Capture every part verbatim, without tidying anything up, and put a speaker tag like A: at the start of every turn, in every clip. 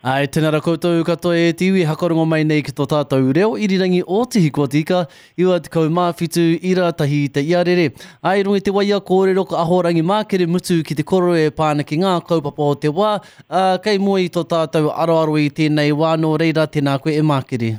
A: Ai, tēnā rā koutou katoa e te iwi hakarongo mai nei ki tō tātou reo irirangi o Te Hiku o Te Ika, iwa tekau mā whitu ira tahi te iarere. Ai, runga i te waia kōrero ko Ahorangi Mākere Mutu ki te koro e pā ana ki ngā kaupapa o te wā, ā, kei mua i tō tātou aroaro i tēnei wā, nō reira, tēnā koe e Mākere.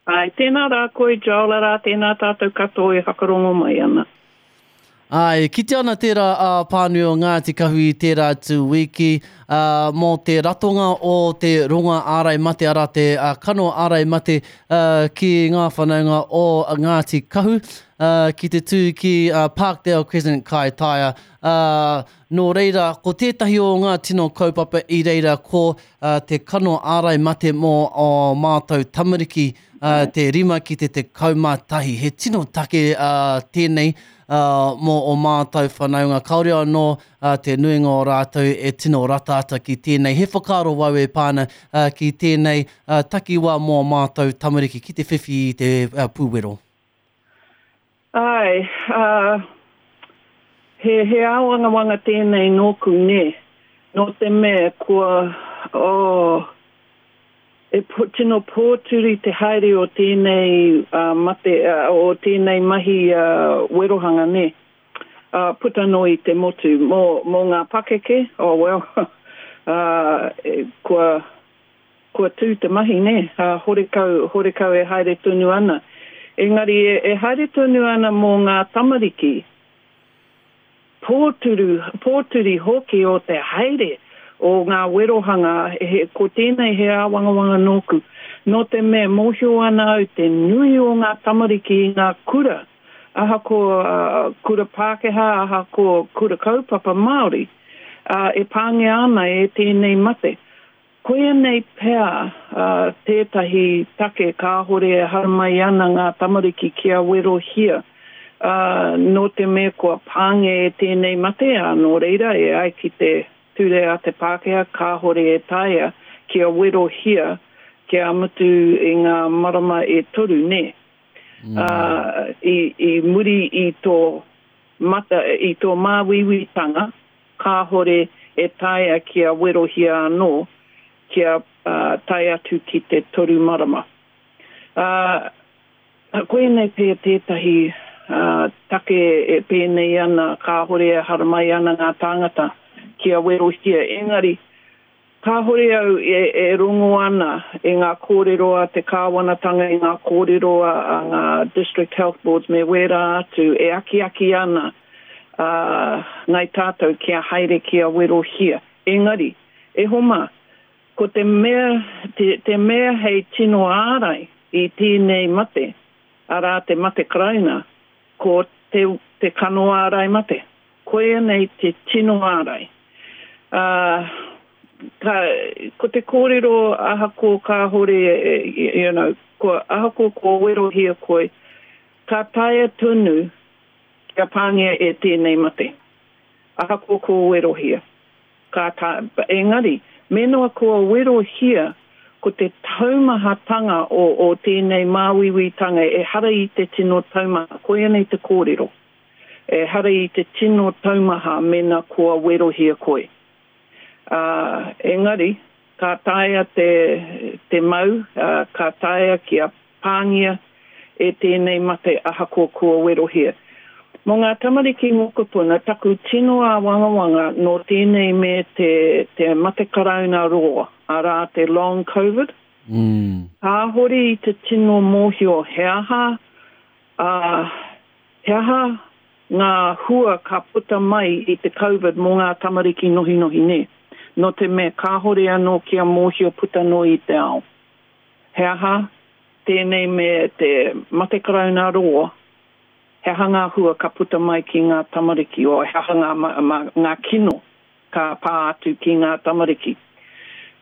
B: Ai, tēnā rā koe, Joel, arā, tēnā tātou katoa e whakarongo mai ana.
A: Ā, e kitea ana tērā ā pānui o Ngāti Kahu i tērā atu wiki, ā, mō te ratonga o te ronga ārai mate, arā te ā, kano ārai mate ā, ki ngā whanaunga o Ngāti Kahu, ā, ki te tū ki ā, Parkdale Crescent Kaitaia. Ā, nō reira, ko tētahi o ngā tino kaupapa i reira ko ā, te kano ārai mate mō ō mātou tamariki, ā, te rima ki te tekau mā tahi. He tino take ā, tēnei ā, mō ō mātou whanaunga. Kāore anō ā, te nuinga o rātou e tino rata ata ki tēnei. He whakaaro wau e pā ana ā, ki tēnei ā, takiwā mō ō mātou tamariki ki te whiwhi i te ā, pūwero.
B: Āe, ā, he, he āwangawanga tēnei nōku, nē. Nō te mea kua, oh, e po, tino pōturi te haere o tēnei uh, mate, uh, o tēnei mahi uh, werohanga, nē. Uh, puta noa i te motu. Mō, mō ngā pakeke, oh well, uh, kua, kua tū te mahi, nē. Uh, horekau, horekau e haere tonu ana. Engari e, e haere tonu ana mō ngā tamariki, pōturu, pōturi hoki o te haere o ngā werohanga, he, ko tēnei he āwangawanga nōku. Nō te mea mōhio ana au te nui o ngā tamariki i ngā kura, ahakoa uh, kura Pākehā, ahakoa kura kaupapa Māori, uh, e pāngia ana e tēnei mate. Koia nei pea uh, tētahi take kāhore e haramai ana ngā tamariki kia werohia, uh, nō te mea kua pāngia e tēnei mate, ā, nō reira e ai ki te ture a te Pākehā kāhore e taea kia werohia kia mutu i ngā marama e toru, nē. Mm. Uh, i, i muri i tō mata, i tō māuiuitanga, kāhore e taea kia werohia anō, kia uh, tae atu ki te toru marama. Uh, koinei pea tētahi uh, take e pēnei ana, kāhore e haramai ana ngā tāngata kia werohia. Engari, kāhore au e, e rongo ana i ngā kōrero a te kāwanatanga, i ngā kōrero a, a ngā District Health Boards me wērā atu e akiaki ana uh, ngai tātou kia haere kia werohia. Engari, e homa, ko te mea, te, te mea hei tino ārai i tēnei mate, arā te mate karauna, ko te, te kano ārai mate. Koia nei te tino ārai. Uh, ka, ko te kōrero ahakoa kāhore, you know, ko, ahakoa kua werohia koe, ka taea tonu kia pāngia e tēnei mate. Ahakoa kua werohia. Ka ta, engari, mēnā kua werohia, ko te taumahatanga o, o tēnei māuiuitanga ehara i te tino taumaha, koia nei te kōrero. Ehara i te tino taumaha mēnā kua werohia koe. Uh, engari, ka taea te, te mau, uh, ka taea kia pāngia e tēnei mate ahakoa kua werohia. Mō ngā tamariki mokopuna, taku tino āwangawanga nō tēnei me te, te mate karauna roa, arā te long COVID.
A: Mm.
B: Kāhore i te tino mōhio he aha, uh, he aha ngā hua ka puta mai i te COVID mō ngā tamariki nohinohi nē. Nō te mea kāhore anō kia mōhio puta noa i te ao. He aha tēnei me te mate karauna roa, he aha ngā hua ka puta mai ki ngā tamariki, o he aha ngā, ma, ma, ngā kino ka pā atu ki ngā tamariki.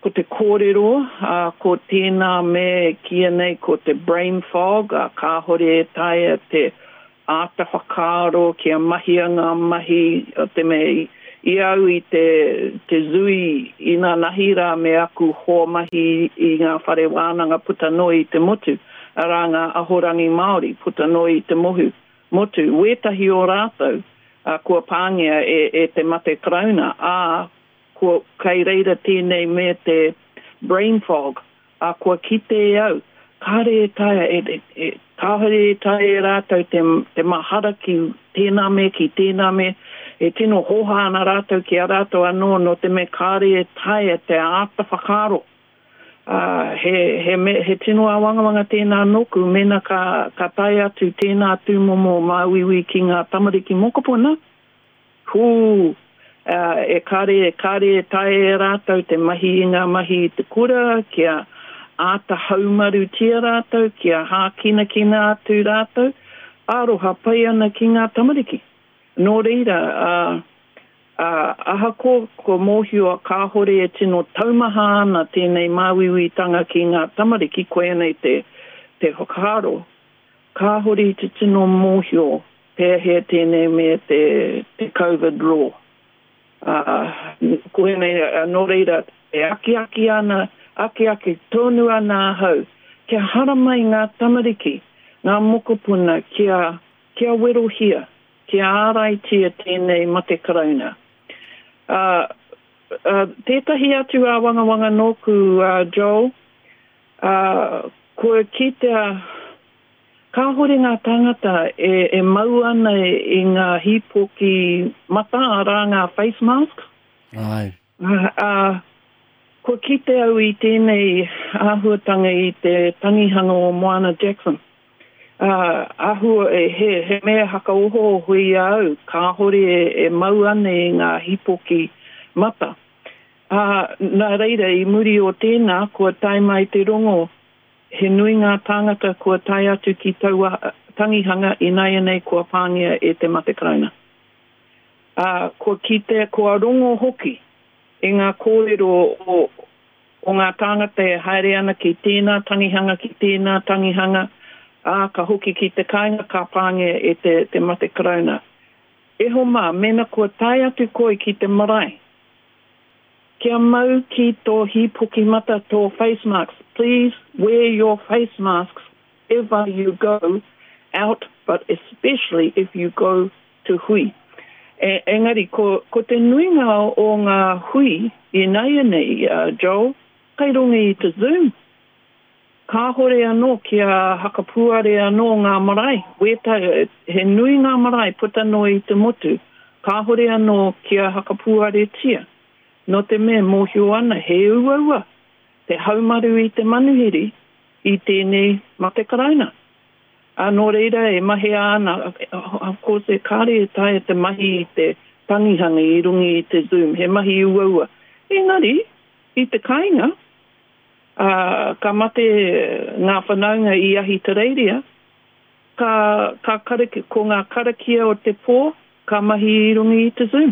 B: Ko te kōrero, uh, ko tēnā me kīia nei ko te brain fog, uh, kāhore e taea te āta whakaaro kia mahia ngā mahi, o te mea i, i au i te, te zui inanahi rā me aku hoa mahi i ngā whare wānanga puta noa i te motu, arā ngā ahorangi Māori puta noa i te mohu, motu. Wētahi o rātou uh, kua pāngia e, e te mate karauna, ā, kua, kei reira tēnei me te brain fog, ā, kua kite e au, kāre e taea, e, e, e, kāore e taea e rātou te, te mahara ki tēnā mea, ki tēnā mea, e tino hōhā ana rātou ki a rātou anō, nō te mea kāre e taea te āta whakaaro. Ā, he, he, me, he tino āwangawanga tēnā nōku, mēnā ka, ka tae atu tēnā tūmomo māuiui ki ngā tamariki mokopuna, hū, ā, e kāre, kāre e taea e rātou te mahi i ngā mahi i te kura, kia āta haumarutia rātou, kia hākinakina atu rātou, aroha pai ana ki ngā tamariki. Nō reira, ā, ā, ahakoa kua mōhio kāhore e tino taumaha ana tēnei māuiuitanga ki ngā tamariki, koianei te, te whakaaro, kāhore i te tino mōhio pēhea tēnei me te, te COVID law. Ā, koianei, nō reira, e akiaki ana, akiaki tonu ana ahau, kia haramai ngā tamariki, ngā mokopuna, kia, kia werohia, kia āraitia tēnei mate karauna. Ā, ā, tētahi atu āwangawanga nōku, ā, Joel, ā, kua kitea kāhore ngā tāngata e, e mau ana i ngā hīpoki mata, arā ngā face masks.
A: Ai.
B: Ā, ā, kua kite au i tēnei āhuatanga i te tangihanga o Moana Jackson. Ā, āhua, e, he, he mea hakaohooho i a au, kāhore e, e mau ana i ngā hīpoki mata. Ā, nā reira, i muri o tēnā, kua tae mai te rongo, he nui ngā tāngata kua tae atu ki taua tangihanga ināianei kua pāngia e te mate karauna. Ā, kua kitea, kua rongo hoki i ngā kōrero o, o ngā tāngata e haere ana ki tēnā tangihanga, ki tēnā tangihanga, ā, ka hoki ki te kāinga ka pāngia e te, te mate karauna. E hoa mā, mēnā kua tae atu koe ki te marae, kia mau ki tō hīpoki mata, tō face masks. Please wear your face masks ever you go out, but especially if you go to hui. E, engari, ko, ko te nuinga o ngā hui ināianei, uh, Joel, kai runga i te Zoom. Kāhore anō kia hakapuare anō ngā marae. Wēta, he nui ngā marae puta noa i te motu. Kāhore anō kia hakapuaretia. Nō te mea mōhio ana he uaua te haumaru i te manuhiri i tēnei mate karauna. Ā, nō reira e mahea ana, of course, e kāre e taea te mahi i te tangihanga i runga i te Zoom, he mahi uaua. Engari, i te kāinga, ā, ka mate ngā whanaunga i Ahitereiria, ka, ka karaki, ko ngā karakia o te pō, ka mahi i runga i te Zoom.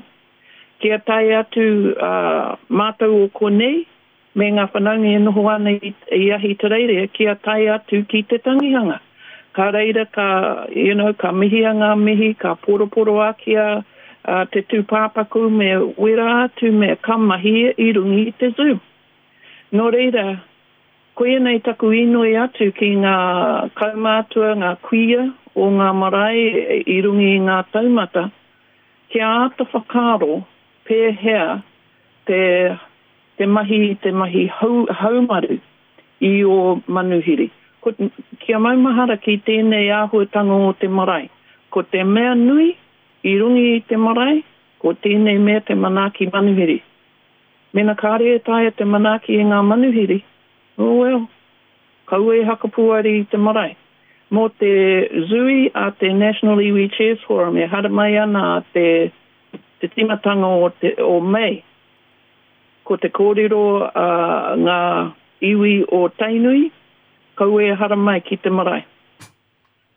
B: Kia tae atu ā, mātou o konei, me ngā whanaunga e noho ana i, i Ahitereiria, kia tae atu ki te tangihanga. Ka reira ka, you know, ka mihia ngā mihi, ka poroporoakia uh, te tūpāpaku me wera atu me ka mahi i runga i te Zoom. Nō reira, koianei taku inoi atu ki ngā kaumātua, ngā kuia o ngā marae i runga i ngā taumata, kia āta whakaaro pēhea te, te mahi, te mahi hau, haumaru i ō manuhiri. Ko, kia maumahara ki tēnei āhuatanga o te marae. Ko te mea nui i runga i te marae, ko tēnei mea te manaaki manuhiri. Mena kāre e taea te manaaki e ngā manuhiri, oh well, kaua e hakapuare i te marae. Mō te Zui a te National Iwi Chairs Forum e haramai ana a te, te tīmatanga o, te, o Mei. Ko te kōrero a ngā iwi o Tainui, kaua e haramai ki te marae.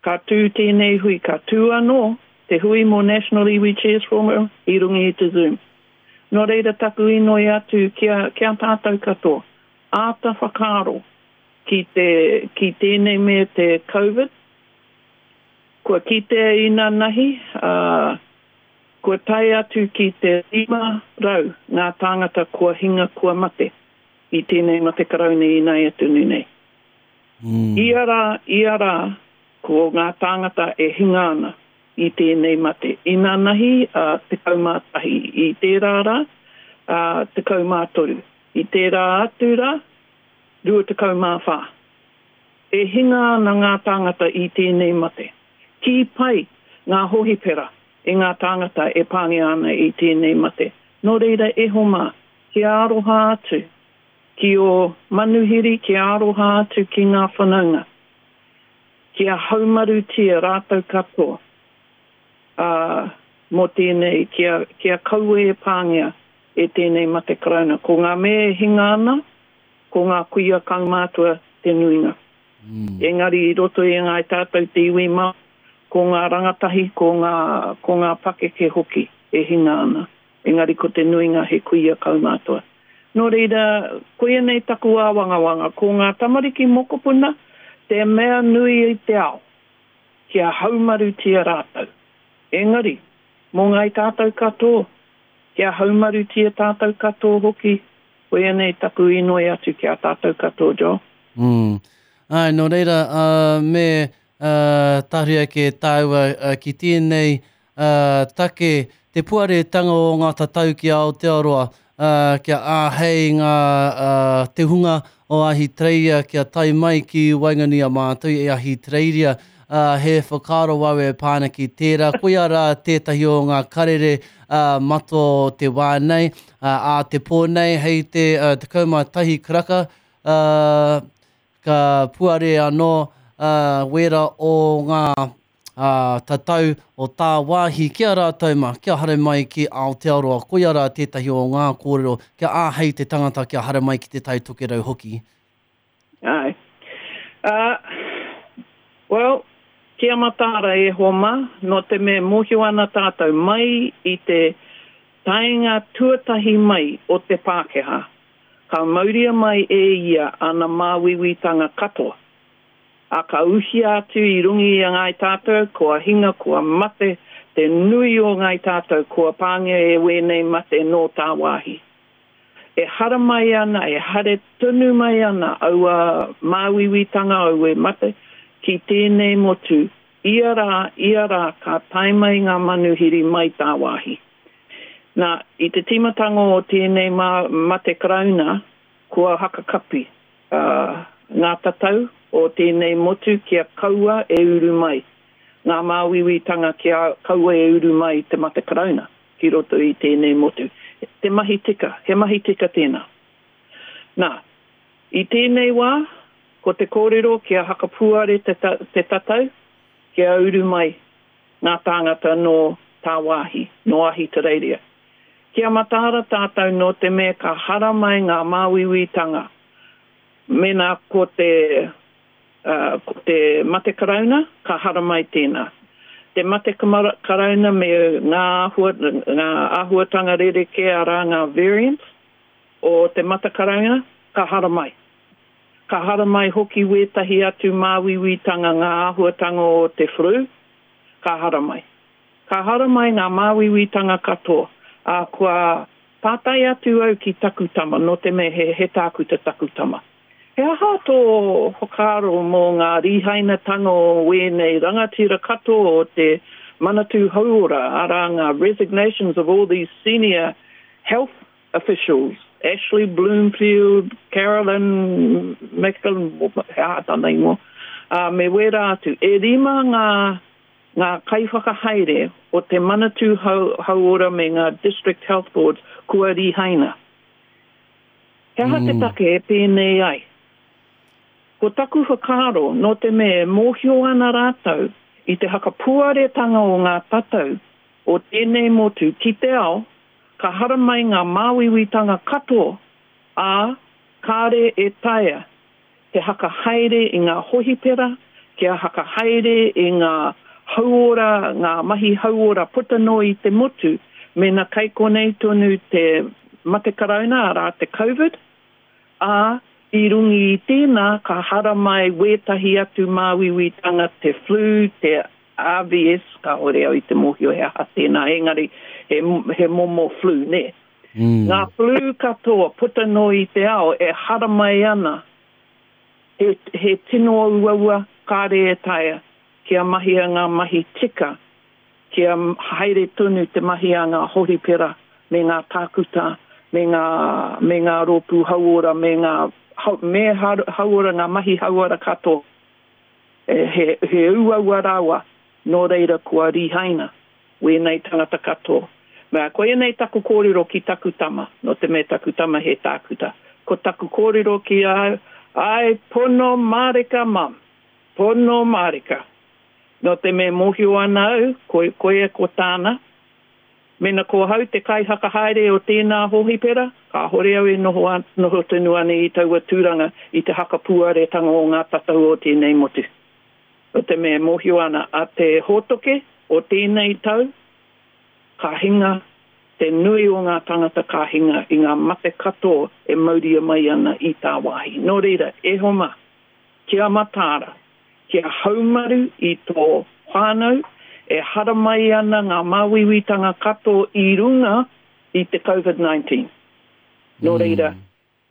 B: Ka tū tēnei hui, ka tū anō te hui mō National Iwi Chairs Forum i runga i te Zoom. Nō reira taku inoi atu kia, kia tātou katoa, āta whakaaro ki, te, ki tēnei mea te COVID. Kua kitea inanahi, uh, kua tae atu ki te rima rau ngā tāngata kua hinga kua mate i tēnei mate karauna ināia tonu nei.
A: Mm.
B: Ia rā, ia rā, ko ngā tāngata e hinga ana i tēnei mate. Inanahi, uh, tekau mā tahi. I tērā rā, uh, tekau mā toru. I tērā atu rā, rua tekau mā whā. E hinga ana ngā tāngata i tēnei mate. Kī pai ngā hohipera i ngā tāngata e pāngia ana i tēnei mate. Nō reira e hoa mā, kia aroha atu ki ō manuhiri, kia aroha atu ki ngā whanaunga. Kia haumarutia rātou katoa, ā, mō tēnei, kia, kia kaua e pāngia e tēnei mate karauna. Ko ngā mea e hinga ana, ko ngā kuia kaumātua te nuinga. Mm. Engari i roto i ngāi tātou te iwi Māori, ko ngā rangatahi, ko ngā, ko ngā pakeke hoki e hinga ana. Engari ko te nuinga he kuia kaumātua. Nō reira, koia nei taku āwangawanga, ko ngā tamariki mokopuna te mea nui i te ao, kia haumarutia rātou. Engari, mō ngāi tātou katoa, kia haumarutia tātou katoa hoki, koia nei taku inoi atu ki a tātou katoa, Joel.
A: Mm. Āe, nō reira, uh, me uh, tahuri ake tāua uh, ki tēnei uh, take, te puaretanga o ngā tatau ki Aotearoa, uh, kia āhei ngā, uh, te hunga o Ahitereiria kia tae mai ki waenganui a mātou e Ahitereiria, uh, he whakaaro au e pā ana ki tērā. Koia rā tētahi o ngā karere uh, matua o te wā nei, uh, ā te pō nei, hei te uh, tekau mā tahi karaka, uh, ka puare anō uh, wera o ngā uh, tatau o tāwāhi ki a rātou mā, kia haere mai ki Aotearoa. Koia rā tētahi o ngā kōrero, kia āhei te tangata kia haere mai ki te Tai Tokerau hoki.
B: Āe. Uh, well, kia mataara e hoa mā, nō te mea mōhio ana tātou mai i te taenga tuatahi mai o te Pākehā, ka mauria mai e ia ana māuiuitanga katoa. A ka uhia atu i runga i a ngāi tātou, kua hinga, kua mate, te nui o ngāi tātou, kua pāngia e wēnei mate nō tāwāhi. E haramai ana, e haere tonu mai ana aua māuiuitanga, aua mate, ki tēnei motu, ia rā, ia rā, ka tae mai ngā manuhiri mai tāwāhi. Nā, i te tīmatanga o tēnei mā, mate karauna, kua hakakapi, uh, ngā tatau o tēnei motu kia kaua e uru mai. Ngā māuiuitanga kia kaua e uru mai te mate karauna ki roto i tēnei motu. Te mahi tika, he mahi tika tēnā. Nā, i tēnei wā, ko te kōrero kia hakapuare te, ta, te tatau, kia uru mai ngā tāngata nō tāwāhi, nō Ahitereiria. Kia mataara tātou nō te mea ka haramai ngā māuiuitanga. Mēnā ko te, uh, ko te mate karauna, ka haramai tēnā. Te mate karauna me ngā āhua, ngā āhuatanga rerekē arā ngā variants o te mate karauna, ka haramai. Ka haramai hoki wētahi atu māuiuitanga ngā āhuatanga o te flu, ka haramai. Ka haramai ngā māuiuitanga katoa. Ā, kua pātai atu au ki taku tama, nō te mea he, he tākuta taku tama. He aha tō whakaaro mō ngā rīhainatanga o wēnei rangatira katoa o te Manatū Hauora, arā ngā resignations of all these senior health officials, Ashley Bloomfield, Carolyn Macklin, he aha tana ingoa, ā, me wērā atu. E rima ngā, ngā kaiwhakahaere o te Manatū Hauora me ngā District Health Boards kua rīhaina. He aha te take e pēnei ai? Ko taku whakaaro, nō te mea e mōhio ana rātou i te hakapuaretanga o ngā tatau o tēnei motu ki te ao, ka haramai ngā māuiuitanga katoa, ā, kāre e taea te hakahaere i ngā hohipera, kia hakahaere i ngā hauora, ngā mahi hauora puta noa i te motu, mēnā kei konei tonu te mate karauna, arā te Covid, ā, i runga i tēnā ka haramai wētahi atu māuiuitanga, te flu, te R V S, kāore au i te mōhio he aha tēnā, engari he, he momo flu, nē.
A: Mm.
B: Ngā flu katoa puta noa i te ao e haramai ana, he, he tino uaua kāre e taea kia mahia ngā mahi tika, kia haere tonu te mahi a ngā hohipera me ngā tākuta, me ngā, me ngā rōpū hauora, me ngā me hauora ngā mahi hauora katoa. He, he uaua rawa, nō reira kua rihaina wēnei tangata katoa. Mea, koianei taku kōrero ki taku tama, nō te mea taku tama he tākuta. Ko taku kōrero ki a au, ai pono mārika mum, pono mārika. Nō te mea mōhio ana au, ko, koia ko tāna, mena ko hau te kaihakahaere o tēnā hōhipera, kāhore au e noho, an, noho tonu ana i taua tūranga i te hakapuaretanga o ngā tatau o tēnei motu. Nō te mea mōhio ana a te hōtoke o tēnei tau, ka hinga te nui o ngā tangata ka hinga i ngā mate katoa e mauria mai ana i tāwāhi. Nō reira, e homa, kia mataara, kia haumaru i tō whānau, e haramai ana ngā māuiuitanga katoa i runga i te COVID nineteen. Nō reira,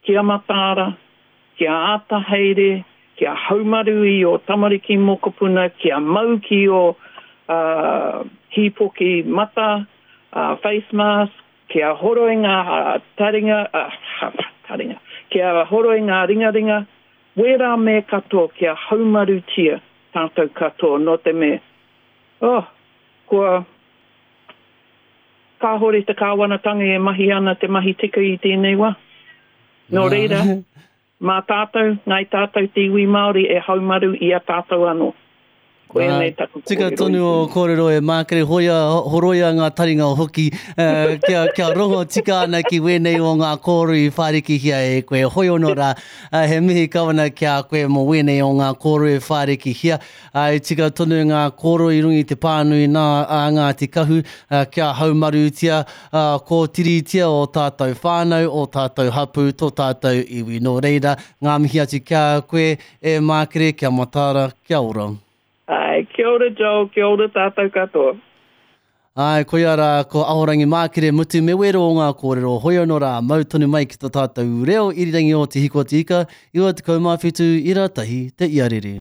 B: kia mataara, kia āta haere, kia haumaru i o tamariki mokopuna, kia mau ki o uh, hīpoki mata, uh, face mask, kia horoi ngā taringa, uh, taringa, kia horoi ngā ringaringa, wērā me katoa, kia haumarutia tātou katoa, nō te mea. Oh, kua kāhore te kāwanatanga e mahi ana te mahi tika i tēnei wā. Nō reira, mā tātou, ngai tātou te iwi Māori e haumaru i a tātou anō. Koianei taku kōrero.
A: Tika tonu o kōrero e Mākere, hoia, horoia ngā taringa o hoki, uh, kia, kia rongo tika ana ki wēnei o ngā kōrero i whārikihia e koe. Hoi ono rā, uh, he mihi kawana ki a koe mō wēnei o ngā kōrero e whārikihia. Uh, e tika tonu ngā kōrero i runga i te pānui nā a Ngāti Kahu, uh, kia haumarutia, uh, kōtiritia o tātou whānau, o tātou hapū, tō tātou iwi. Nō reira, ngā mihi atu ki a koe e Mākere, kia mataara, kia ora.
B: Ai, kia ora Joel, kia ora tātou katoa.
A: Ai, koia rā, ko Ahorangi Mākere mutu me wero o ngā kōrero, hoi anō rā, mau tonu mai ki tō tātou reo irirangi o Te Hiko Te Ika, iwa tekau mā whitu, ira tahi, te iarere.